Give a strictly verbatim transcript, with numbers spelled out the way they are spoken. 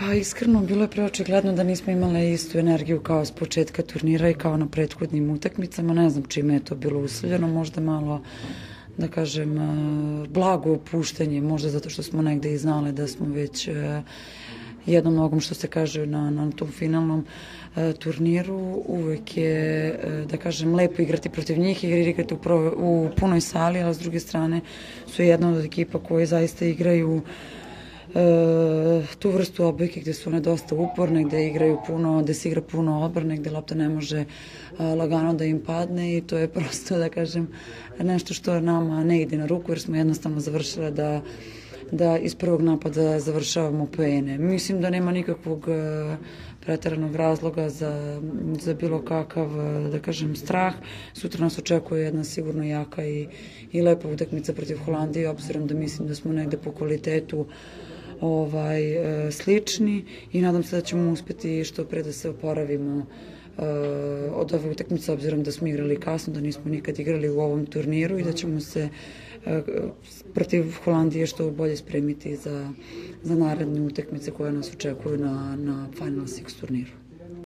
Pa iskreno, bilo je preočigledno da nismo imale istu energiju kao s početka turnira i kao na prethodnim utakmicama. Ne znam čime je to bilo uslovljeno, možda malo, da kažem, blago opuštanje, možda zato što smo negde i znali da smo već jednom nogom, što se kaže, na, na tom finalnom e, turniru. Uvek je, e, da kažem, lepo igrati protiv njih, jer igrati u, pro, u punoj sali, ali s druge strane su jedna od ekipa koje zaista igraju e, tu vrstu odbojke gde su one dosta uporne, gde igraju puno, gde se igra puno odbrane, gde lopta ne može a, lagano da im padne i to je prosto, da kažem, nešto što nama ne ide na ruku, jer smo jednostavno završile da da iz prvog napada završavamo poene. Mislim da nema nikakvog preteranog razloga za, za bilo kakav, da kažem, strah. Sutra nas očekuje jedna sigurno jaka i, i lepa utakmica protiv Holandije, obzirom da mislim da smo negde po kvalitetu ovaj, slični i nadam se da ćemo uspeti što pre da se oporavimo od ove utakmice, obzirom da smo igrali kasno, da nismo nikad igrali u ovom turniru i da ćemo se protiv Holandije što bolje spremiti za, za naredne utakmice koje nas očekuju na, na Final Six turniru.